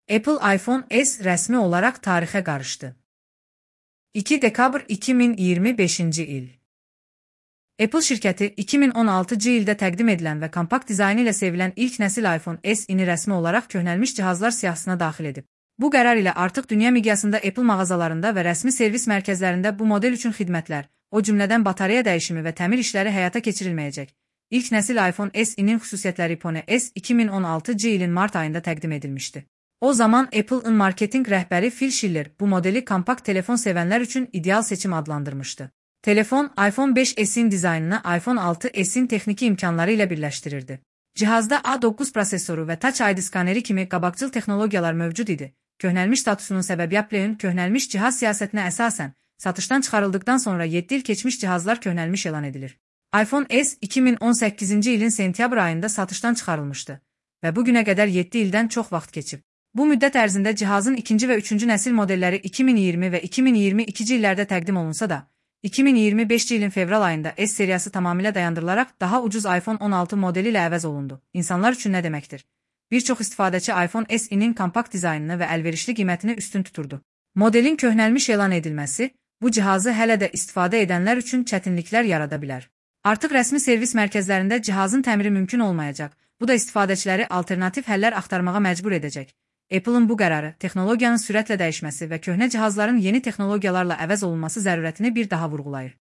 Apple iPhone S rəsmi olaraq tarixə qarışdı. 2 dekabr 2025-ci il. Apple şirkəti 2016-cı ildə təqdim edilən və kompakt dizaynı ilə sevilən ilk nəsil iPhone S-ini rəsmi olaraq köhnəlmiş cihazlar siyahısına daxil edib. Bu qərar ilə artıq dünya miqyasında Apple mağazalarında və rəsmi servis mərkəzlərində bu model üçün xidmətlər, o cümlədən batareya dəyişimi və təmir işləri həyata keçirilməyəcək. İlk nəsil iPhone S-inin xüsusiyyətləri iPhone S 2016-cı ilin mart ayında təqdim edilmişdi. O zaman Apple-ın marketinq rəhbəri Phil Schiller bu modeli kompakt telefon sevənlər üçün ideal seçim adlandırmışdı. Telefon, iPhone 5s'in dizaynını iPhone 6s'in texniki imkanları ilə birləşdirirdi. Cihazda A9 prosesoru və Touch ID skaneri kimi qabaqcıl texnologiyalar mövcud idi. Köhnəlmiş statusunun səbəbi Apple'ın köhnəlmiş cihaz siyasətinə əsasən, satışdan çıxarıldıqdan sonra 7 il keçmiş cihazlar köhnəlmiş elan edilir. iPhone S 2018-ci ilin sentyabr ayında satışdan çıxarılmışdı və bugünə qədər 7 ildən çox vaxt keçib. Bu müddət ərzində cihazın ikinci və üçüncü nəsil modelləri 2020 və 2022-ci illərdə təqdim olunsa da, 2025-ci ilin fevral ayında S seriyası tamamilə dayandırılaraq daha ucuz iPhone 16 modeli ilə əvəz olundu. İnsanlar üçün nə deməkdir? Bir çox istifadəçi iPhone S-inin kompakt dizaynını və əlverişli qiymətini üstün tuturdu. Modelin köhnəlmiş elan edilməsi, bu cihazı hələ də istifadə edənlər üçün çətinliklər yarada bilər. Artıq rəsmi servis mərkəzlərində cihazın təmiri mümkün olmayacaq, bu da istifadəçiləri alternativ həllər axtarmağa məcbur edəcək. Apple'ın bu qərarı, texnologiyanın sürətlə dəyişməsi və köhnə cihazların yeni texnologiyalarla əvəz olunması zərurətini bir daha vurğulayır.